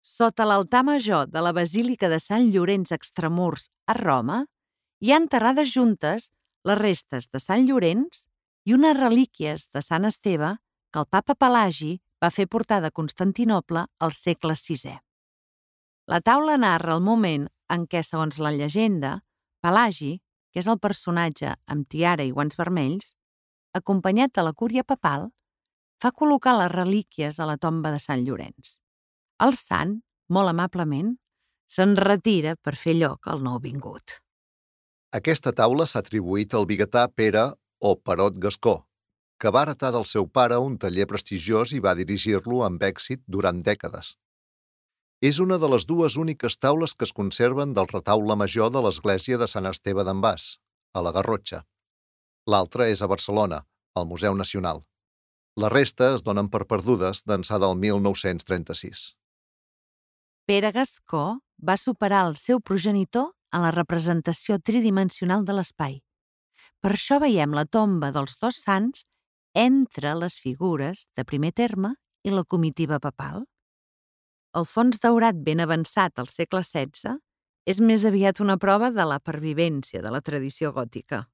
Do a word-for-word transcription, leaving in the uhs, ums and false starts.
Sota l'altar major de la Basílica de Sant Llorenç Extramurs a Roma, hi ha enterrades juntes les restes de Sant Llorenç i unes relíquies de Sant Esteve que el papa Pelagi va fer portar de Constantinoble al segle sisè. La taula narra el moment en què, segons la llegenda, Pelagi, que és el personatge amb tiara i guants vermells, acompanyat de la cúria papal, fa col·locar les relíquies a la tomba de Sant Llorenç. El sant, molt amablement, se'n retira per fer lloc al nouvingut. Aquesta taula s'ha atribuït al biguetà Pere o Perot Gascó, que va heretar del seu pare un taller prestigiós i va dirigir-lo amb èxit durant dècades. És una de les dues úniques taules que es conserven del retaule major de l'església de Sant Esteve d'en Bas, a la Garrotxa. L'altra és a Barcelona, al Museu Nacional. La resta es donen per perdudes d'ençà del mil nou-cents trenta-sis. Pere Gascó va superar el seu progenitor en la representació tridimensional de l'espai. Per això veiem la tomba dels dos sants entre les figures de primer terme i la comitiva papal. El fons daurat ben avançat al segle setze és més aviat una prova de la pervivència de la tradició gòtica.